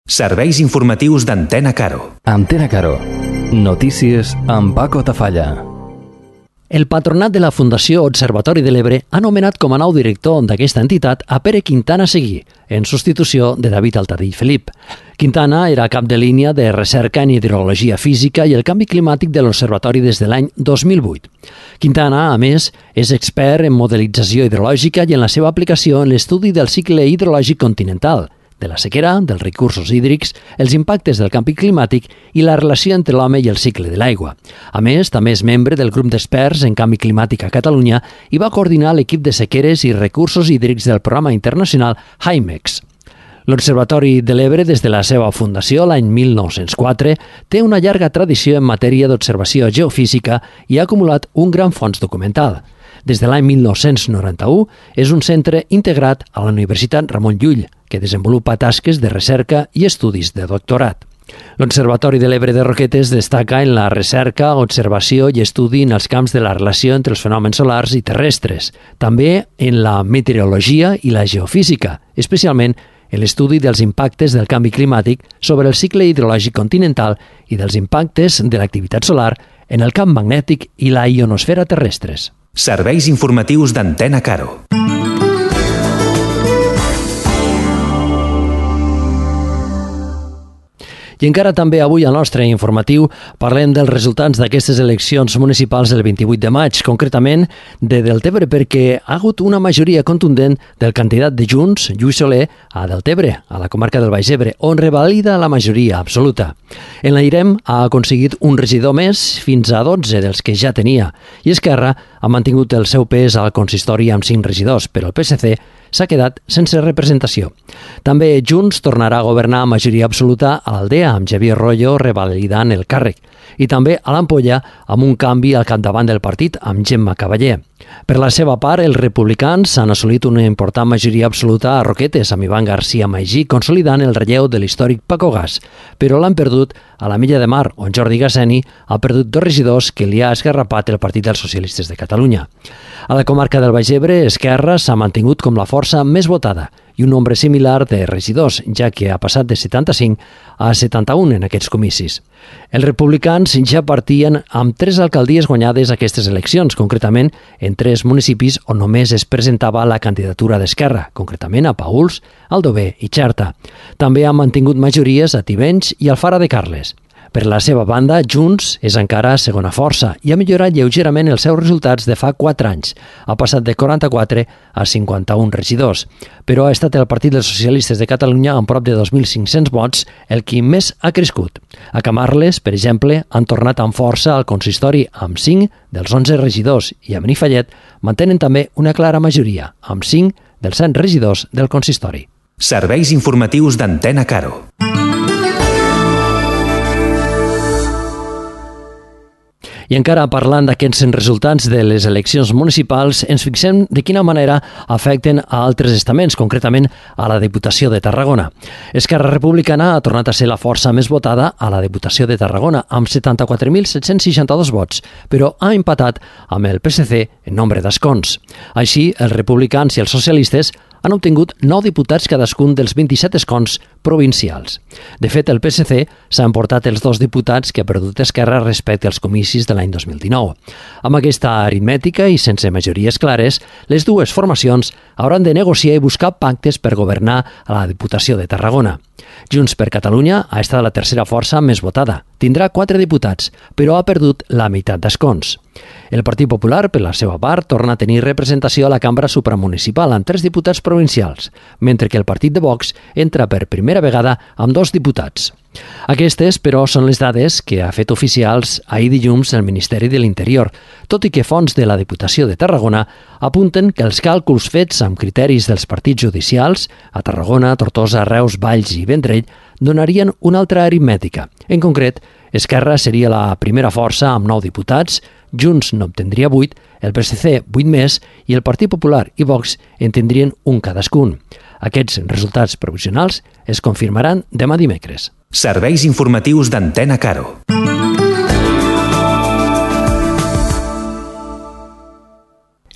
Serveis informatius d'Antena Caro. Antena Caro. Notícies amb Paco Tafalla. El patronat de la Fundació Observatori de l'Ebre ha nomenat com a nou director d'aquesta entitat a Pere Quintana Seguí, en substitució de David Altadill Felip. Quintana era cap de línia de recerca en hidrologia física i el canvi climàtic de l'Observatori des de l'any 2008. Quintana, a més, és expert en modelització hidrològica i en la seva aplicació en l'estudi del cicle hidrològic continental, de la sequera, dels recursos hídrics, els impactes del canvi climàtic i la relació entre l'home i el cicle de l'aigua. A més, també és membre del grup d'experts en canvi climàtic a Catalunya i va coordinar l'equip de sequeres i recursos hídrics del programa internacional HIMEX. L'Observatori de l'Ebre, des de la seva fundació l'any 1904, té una llarga tradició en matèria d'observació geofísica i ha acumulat un gran fons documental. Des de l'any 1991 és un centre integrat a la Universitat Ramon Llull, que desenvolupa tasques de recerca i estudis de doctorat. L'Observatori de l'Ebre de Roquetes destaca en la recerca, observació i estudi en els camps de la relació entre els fenòmens solars i terrestres, també en la meteorologia i la geofísica, especialment en l'estudi dels impactes del canvi climàtic sobre el cicle hidrològic continental i dels impactes de l'activitat solar en el camp magnètic i la ionosfera terrestres. Serveis informatius d'Antena Caro. I encara també avui al nostre informatiu parlem dels resultats d'aquestes eleccions municipals del 28 de maig, concretament de Deltebre, perquè ha hagut una majoria contundent del candidat de Junts, Lluís Soler, a Deltebre, a la comarca del Baix Ebre, on revalida la majoria absoluta. En l'Airem ha aconseguit un regidor més, fins a 12 dels que ja tenia, i Esquerra ha mantingut el seu pes al consistori amb 5 regidors, però el PSC s'ha quedat sense representació. També Junts tornarà a governar a majoria absoluta a l'Aldea, amb Xavier Royo revalidant el càrrec, i també a l'Ampolla amb un canvi al capdavant del partit amb Gemma Cavaller. Per la seva part, els republicans han assolit una important majoria absoluta a Roquetes, amb Ivan García Maigí consolidant el relleu de l'històric Paco Gas, però l'han perdut a la Milla de Mar, on Jordi Gasseni ha perdut 2 regidors que li ha esgarrapat el Partit dels Socialistes de Catalunya. A la comarca del Baix Ebre, Esquerra s'ha mantingut com la força més votada i un nombre similar de regidors, ja que ha passat de 75 a 71 en aquests comicis. Els republicans ja partien amb 3 alcaldies guanyades aquestes eleccions, concretament en 3 municipis on només es presentava la candidatura d'Esquerra, concretament a Paüls, Aldover i Xerta. També han mantingut majories a Tivenys i Alfara de Carles. Per la seva banda, Junts és encara segona força i ha millorat lleugerament els seus resultats de fa 4 anys. Ha passat de 44 a 51 regidors, però ha estat el Partit dels Socialistes de Catalunya amb prop de 2.500 vots el qui més ha crescut. A Camarles, per exemple, han tornat amb força al consistori amb 5 dels 11 regidors i a Benifallet mantenen també una clara majoria, amb 5 dels 100 regidors del consistori. Serveis informatius d'Antena Caro. I encara parlant d'aquests resultats de les eleccions municipals, ens fixem de quina manera afecten a altres estaments, concretament a la Diputació de Tarragona. Esquerra Republicana ha tornat a ser la força més votada a la Diputació de Tarragona, amb 74.762 vots, però ha empatat amb el PSC en nombre d'escons. Així, els republicans i els socialistes han obtingut 9 diputats cadascun dels 27 escons provincials. De fet, el PSC s'ha emportat els 2 diputats que ha perdut Esquerra respecte als comicis de l'any 2019. Amb aquesta aritmètica i sense majories clares, les dues formacions hauran de negociar i buscar pactes per governar a la Diputació de Tarragona. Junts per Catalunya ha estat la tercera força més votada. Tindrà 4 diputats, però ha perdut la meitat d'escons. El Partit Popular, per la seva part, torna a tenir representació a la cambra supramunicipal amb 3 diputats provincials, mentre que el Partit de Vox entra per primera vegada amb 2 diputats. Aquestes, però, són les dades que ha fet oficials ahir dilluns el Ministeri de l'Interior, tot i que fonts de la Diputació de Tarragona apunten que els càlculs fets amb criteris dels partits judicials a Tarragona, Tortosa, Reus, Valls i Vendrell donarien una altra aritmètica. En concret, Esquerra seria la primera força amb 9 diputats, Junts n'obtendria 8, el PSC 8 més i el Partit Popular i Vox en tindrien un cadascun. Aquests resultats provisionals es confirmaran demà dimecres. Serveis informatius d'Antena Caro.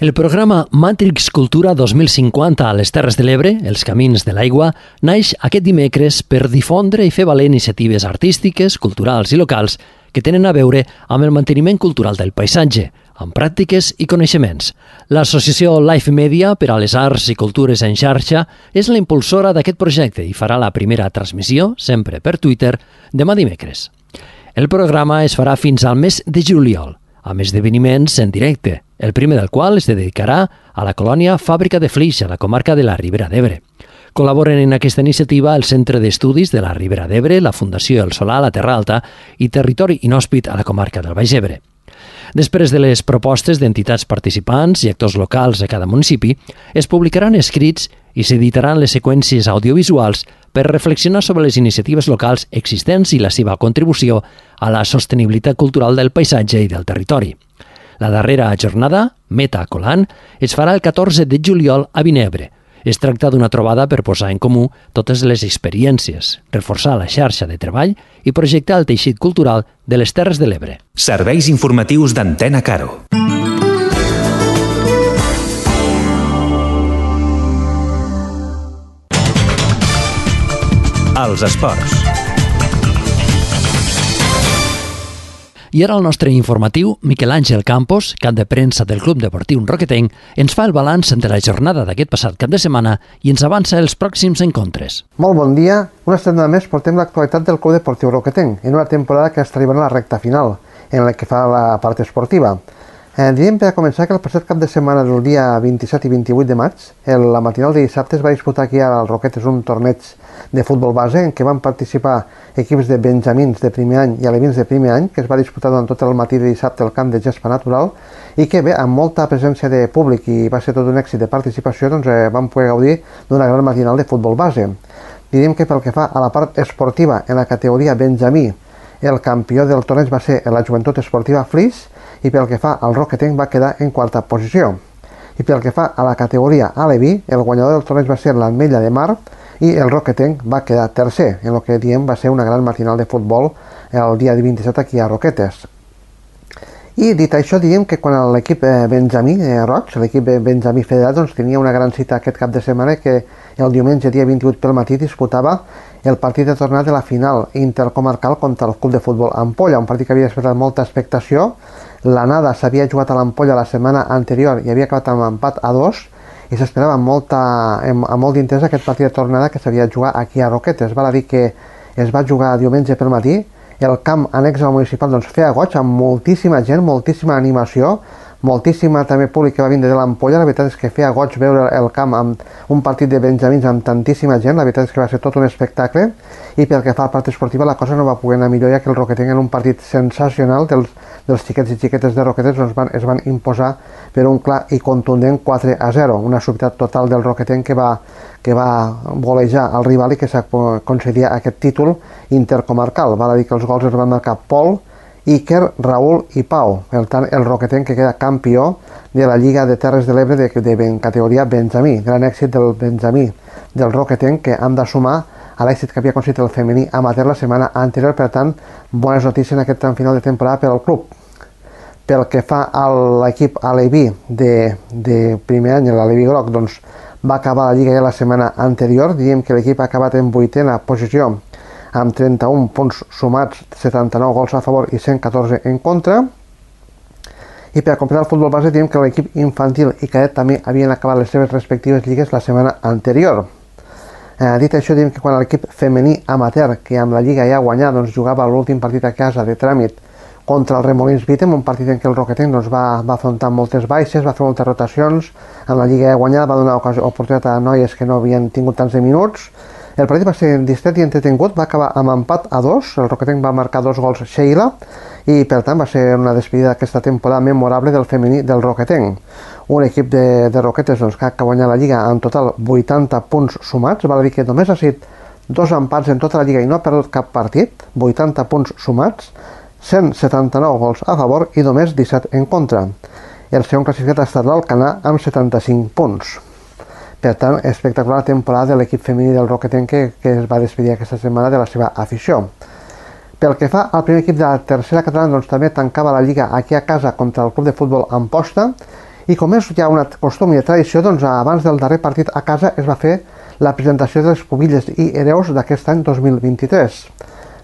El programa Matrix Cultura 2050 a les Terres de l'Ebre, els camins de l'aigua, naix aquest dimecres per difondre i fer valer iniciatives artístiques, culturals i locals que tenen a veure amb el manteniment cultural del paisatge, amb pràctiques i coneixements. L'associació Life Media per a les arts i cultures en xarxa és la impulsora d'aquest projecte i farà la primera transmissió, sempre per Twitter, demà dimecres. El programa es farà fins al mes de juliol, amb esdeveniments en directe, el primer del qual es dedicarà a la colònia Fàbrica de Flix, a la comarca de la Ribera d'Ebre. Col·laboren en aquesta iniciativa el Centre d'Estudis de la Ribera d'Ebre, la Fundació El Solà a la Terra Alta i Territori Inhòspit a la comarca del Baix Ebre. Després de les propostes d'entitats participants i actors locals a cada municipi, es publicaran escrits i s'editaran les seqüències audiovisuals per reflexionar sobre les iniciatives locals existents i la seva contribució a la sostenibilitat cultural del paisatge i del territori. La darrera jornada, Meta Colant, es farà el 14 de juliol a Vinebre. Es tracta d'una trobada per posar en comú totes les experiències, reforçar la xarxa de treball i projectar el teixit cultural de les Terres de l'Ebre. Serveis informatius d'Antena Caro. Els esports. I ara el nostre informatiu, Miquel Àngel Campos, cap de premsa del Club Deportiu Roquetenc, ens fa el balanç de la jornada d'aquest passat cap de setmana i ens avança els pròxims encontres. Molt bon dia. Una setmana més portem l'actualitat del Club Deportiu Roquetenc en una temporada que està arribant a la recta final, en la que fa la part esportiva. Diríem per a començar que el passat cap de setmana del dia 27 i 28 de maig, la matinal de dissabte es va disputar aquí al Roquetes un torneig de futbol base en què van participar equips de benjamins de primer any i alevins de primer any, que es va disputar durant tot el matí de dissabte al camp de gespa natural i que bé, amb molta presència de públic i va ser tot un èxit de participació, doncs vam poder gaudir d'una gran matinal de futbol base. Diríem que pel que fa a la part esportiva en la categoria benjamí, el campió del torneig va ser la Joventut Esportiva Flix i pel que fa al Roquetenc va quedar en quarta posició. I pel que fa a la categoria aleví, el guanyador del torneig va ser l'Ametlla de Mar i el Roquetenc va quedar tercer, en el que diem va ser una gran matinal de futbol el dia 27 aquí a Roquetes. I dit això, diríem que quan l'equip benjamí roig, l'equip benjamí federat, doncs tenia una gran cita aquest cap de setmana que el diumenge dia 28 pel matí disputava el partit de tornada de la final intercomarcal contra el Club de Futbol Ampolla, un partit que havia despertat molta expectació. L'anada s'havia jugat a l'Ampolla la setmana anterior i havia acabat amb empat a 2 i s'esperava amb molt d'interès aquest partit de tornada que s'havia de jugar aquí a Roquetes. Val a dir que es va jugar diumenge pel matí, el camp annex al municipal doncs, feia goig amb moltíssima gent, moltíssima animació, moltíssima també públic que va vindre de l'Ampolla. La veritat és que feia goig veure el camp amb un partit de benjamins amb tantíssima gent, la veritat és que va ser tot un espectacle i pel que fa a la part esportiva la cosa no va poder anar millor, ja que el Roquetenc en un partit sensacional dels xiquets i xiquetes de Roquetes doncs es van imposar per un clar i contundent 4-0, una superioritat total del Roquetenc que va golejar el rival i que s'aconseguia aquest títol intercomarcal. Val a dir que els gols es van marcar Pol, Iker, Raül i Pau. Per tant, el Roquetenc que queda campió de la Lliga de Terres de l'Ebre de categoria benjamí. Gran èxit del benjamí del Roquetenc que han de sumar a l'èxit que havia aconseguit el femení amateur la setmana anterior. Per tant, bones notícies en aquest tram final de temporada per al club. Pel que fa a l'equip aleví de primer any, l'Aleví Groc, doncs va acabar la Lliga ja la setmana anterior. Diríem que l'equip ha acabat en 8a posició amb 31 punts sumats, 79 gols a favor i 114 en contra. I per a completar el futbol base, diem que l'equip infantil i cadet també havien acabat les seves respectives lligues la setmana anterior. Dit això, diem que quan l'equip femení amateur, que amb la Lliga ja ha guanyat, doncs jugava l'últim partit a casa de tràmit contra el Remolins Vítem, un partit en què el Roquetenc doncs, va afrontar moltes baixes, va fer moltes rotacions, amb la Lliga ja guanyada va donar oportunitat a noies que no havien tingut tants de minuts. El partit va ser distret i entretingut, va acabar amb empat a 2, el Roquetenc va marcar 2 gols Sheila i per tant va ser una despedida d'aquesta temporada memorable del femení del Roquetenc. Un equip de Roquetes doncs, que ha guanyat la Lliga en total 80 punts sumats, val a dir que només ha sigut 2 empats en tota la Lliga i no ha perdut cap partit, 80 punts sumats, 179 gols a favor i només 17 en contra. El segon classificat ha estat l'Alcanar amb 75 punts. Per tant, espectacular temporada de l'equip femení del Roquetenc que es va despedir aquesta setmana de la seva afició. Pel que fa al primer equip de la tercera catalana, doncs també tancava la Lliga aquí a casa contra el Club de Futbol Amposta I com és ja una costum i tradició, doncs abans del darrer partit a casa es va fer la presentació de les pubilles i hereus d'aquest any 2023.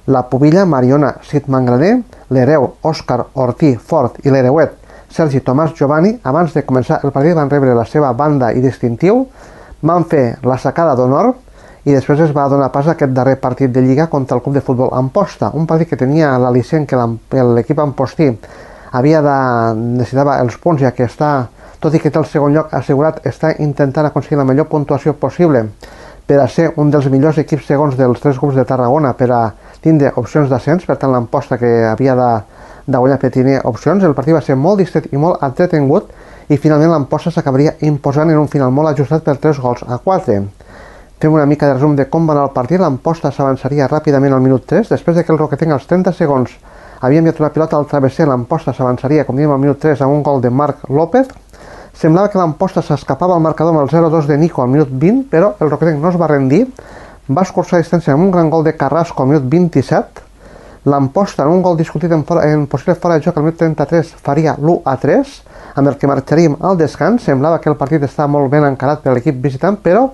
La pubilla Mariona Cid Mangraner, l'hereu Òscar Ortí Fort i l'hereuet Sergi Tomàs Giovanni, abans de començar el partit van rebre la seva banda i distintiu, van fer la sacada d'honor i després es va donar pas a aquest darrer partit de Lliga contra el Club de Futbol Amposta, un partit que tenia l'al·licient que l'equip ampostí necessitava els punts, ja que tot i que té el segon lloc assegurat, està intentant aconseguir la millor puntuació possible per a ser un dels millors equips segons dels 3 grups de Tarragona per a tindre opcions d'ascens. Per tant, l'Amposta, que havia de guanyar per tenir opcions, el partit va ser molt distret i molt entretingut i finalment l'Amposta s'acabaria imposant en un final molt ajustat per 3-4. Fem una mica de resum de com va anar el partit. L'Amposta s'avançaria ràpidament al minut 3, després de que el Roquetenc als 30 segons havia enviat una pilota al travesser. L'Amposta s'avançaria, com diem, al minut 3 amb un gol de Marc López. Semblava que l'Amposta s'escapava al marcador amb el 0-2 de Nico al minut 20, però el Roquetenc no es va rendir, va escurçar distància amb un gran gol de Carrasco al minut 27. L'Amposta, en un gol discutit en possible fora de joc al minut 33, faria l'1-3, amb el que marxaríem al descans. Semblava que el partit estava molt ben encarat per l'equip visitant, però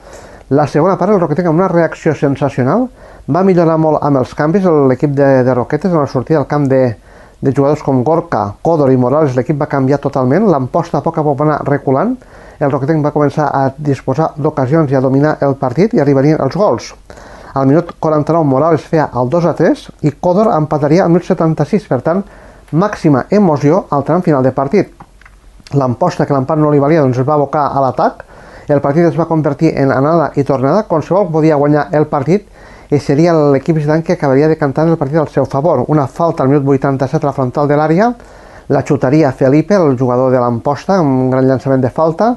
la segona part el Roquetenc, amb una reacció sensacional, va millorar molt amb els canvis. L'equip de Roquetes, en la sortida al camp de jugadors com Gorka, Códor i Morales, l'equip va canviar totalment. L'Amposta a poc va anar reculant. El Roquetenc va començar a disposar d'ocasions i a dominar el partit i arribarien els gols. Al minut 49 Morales feia el 2-3 i Códor empataria al minut 76. Per tant, màxima emoció al tram final de partit. L'Amposta, que l'empat no li valia, doncs es va abocar a l'atac. El partit es va convertir en anada i tornada. Qualsevol podia guanyar el partit i seria l'equip visitant que acabaria decantant el partit al seu favor. Una falta al minut 87 a la frontal de l'àrea, la xutaria Felipe, el jugador de l'Amposta, un gran llançament de falta.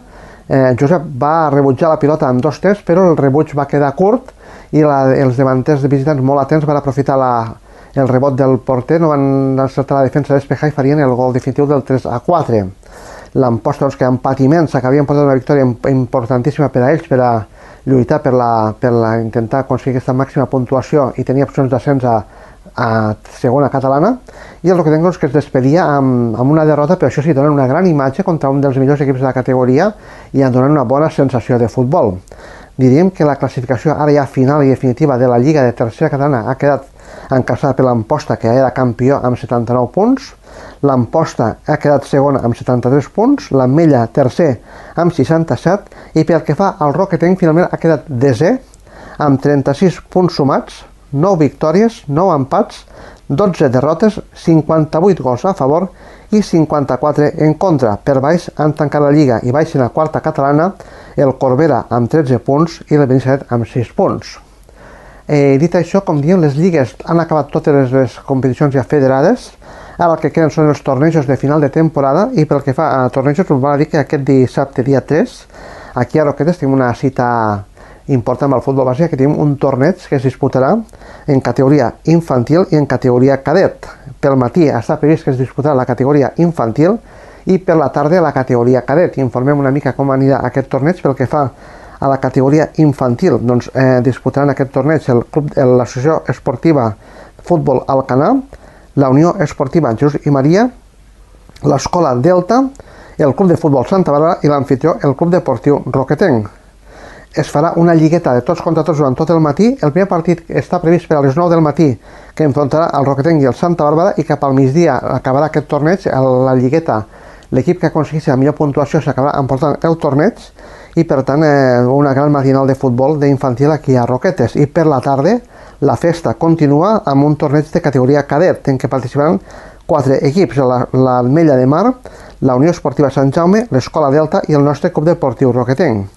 Josep va rebutjar la pilota amb 2-3, però el rebuig va quedar curt i els davanters de visitants molt atents van aprofitar el rebot del porter, no van encertar la defensa despejar i farien el gol definitiu del 3-4. L'Amposta, doncs, que amb patiment s'acabien portat una victòria importantíssima per a ells, per a lluitar per intentar aconseguir aquesta màxima puntuació i tenir opcions d'ascens a segona catalana, i el Roquetenc, doncs, que es despedia amb una derrota, però això sí, donant una gran imatge contra un dels millors equips de la categoria i donant una bona sensació de futbol. Diríem que la classificació ara ja final i definitiva de la Lliga de Tercera Catalana ha quedat encaixada per l'Amposta, que era campió amb 79 punts, l'Amposta ha quedat segona amb 73 punts, l'Ametlla tercer amb 67, i pel que fa al Roquetenc finalment ha quedat desè amb 36 punts sumats, 9 victòries, 9 empats, 12 derrotes, 58 gols a favor i 54 en contra. Per baix han tancat la Lliga i baixen a quarta catalana el Corbera amb 13 punts i el Benissanet amb 6 punts. Dit això, com diem, les lligues han acabat totes les competicions ja federades. Ara el que queden són els tornejos de final de temporada, i pel que fa a tornejos us va dir que aquest dissabte dia 3 aquí a Roquetes tenim una cita important amb el futbol base, que tenim un torneig que es disputarà en categoria infantil i en categoria cadet. Pel matí està previst que es disputarà la categoria infantil i per la tarda la categoria cadet. Informem una mica com anirà aquest torneig. Pel que fa a la categoria infantil, doncs disputaran aquest torneig l'Associació Esportiva Futbol Alcanar, la Unió Esportiva Jesús i Maria, l'Escola Delta, el Club de Futbol Santa Bàrbara i l'anfitrió, el Club Deportiu Roquetenc. Es farà una lligueta de tots contra tots durant tot el matí. El primer partit està previst per a les 9 del matí, que enfrontarà el Roquetenc i el Santa Bàrbara, i cap al migdia acabarà aquest torneig, la lligueta. L'equip que aconsegueixi la millor puntuació s'acabarà emportant el torneig, i per tant una gran matinal de futbol d'infantil aquí a Roquetes. I per la tarda la festa continua amb un torneig de categoria cadet en què participaran 4 equips: l'Ametlla de Mar, la Unió Esportiva Sant Jaume, l'Escola Delta i el nostre Club Deportiu Roquetenc.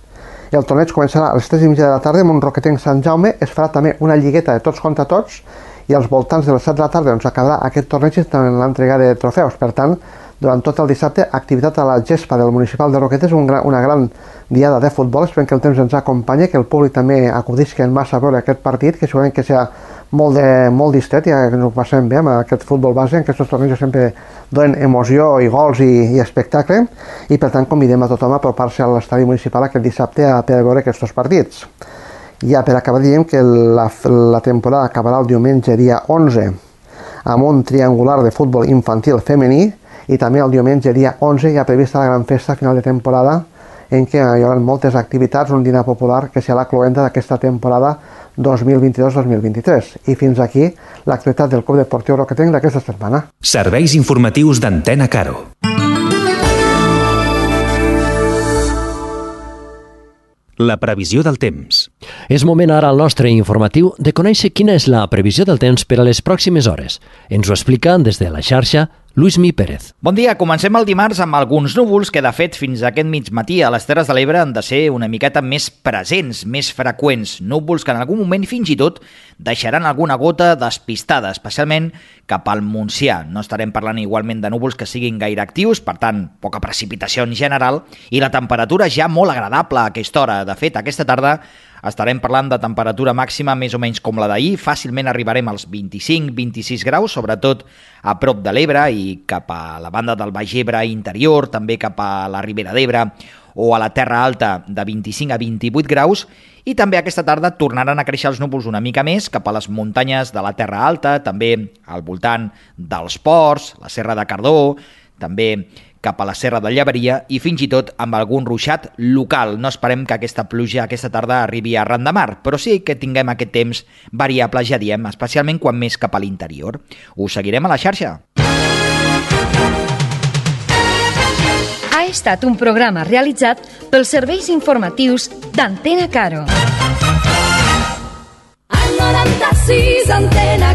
El torneig començarà a les 3:30 de la tarda amb un Roquetenc Sant Jaume. Es farà també una lligueta de tots contra tots i als voltants de les 7 de la tarda acabarà aquest torneig en l'entrega de trofeus. Per tant, durant tot el dissabte, activitat a la gespa del municipal de Roquetes, una gran diada de futbol. Esperem que el temps ens acompanyi, que el públic també acudisca en massa a veure aquest partit, que segurament que serà molt distret, ja que ens ho passem bé amb aquest futbol base, en aquests tornejos sempre donen emoció i gols i espectacle, i per tant convidem a tothom a apropar-se a l'estadi municipal aquest dissabte per veure aquests partits. Ja per acabar diem que la temporada acabarà el diumenge dia 11 amb un triangular de futbol infantil femení I també el diumenge, dia 11, hi ha prevista la gran festa final de temporada en què hi haurà moltes activitats, un dinar popular que serà la cloenda d'aquesta temporada 2022-2023. I fins aquí l'actualitat del Club Deportiu Roquetenc d'aquesta setmana. Serveis informatius d'Antena Caro. La previsió del temps. És moment ara al nostre informatiu de conèixer quina és la previsió del temps per a les pròximes hores. Ens ho explica des de la xarxa Luismi Pérez. Bon dia, comencem el dimarts amb alguns núvols que de fet fins a aquest migmatí a les Terres de l'Ebre han de ser una miqueta més presents, més freqüents. Núvols que en algun moment fins i tot deixaran alguna gota despistada, especialment cap al Montsià. No estarem parlant igualment de núvols que siguin gaire actius, per tant, poca precipitació en general, i la temperatura ja molt agradable a aquesta hora. De fet, aquesta tarda estarem parlant de temperatura màxima més o menys com la d'ahir, fàcilment arribarem als 25-26 graus, sobretot a prop de l'Ebre i cap a la banda del Baix Ebre interior, també cap a la Ribera d'Ebre o a la Terra Alta de 25 a 28 graus, i també aquesta tarda tornaran a créixer els núvols una mica més cap a les muntanyes de la Terra Alta, també al voltant dels Ports, la Serra de Cardó, també cap a la Serra de Lleberia i fins i tot amb algun ruixat local. No esperem que aquesta pluja aquesta tarda arribi a ran de mar, però sí que tinguem aquest temps variable, ja diem, especialment quan més cap a l'interior. Us seguirem a la xarxa. Ha estat un programa realitzat pels serveis informatius d'Antena Caro. Al 96 Antena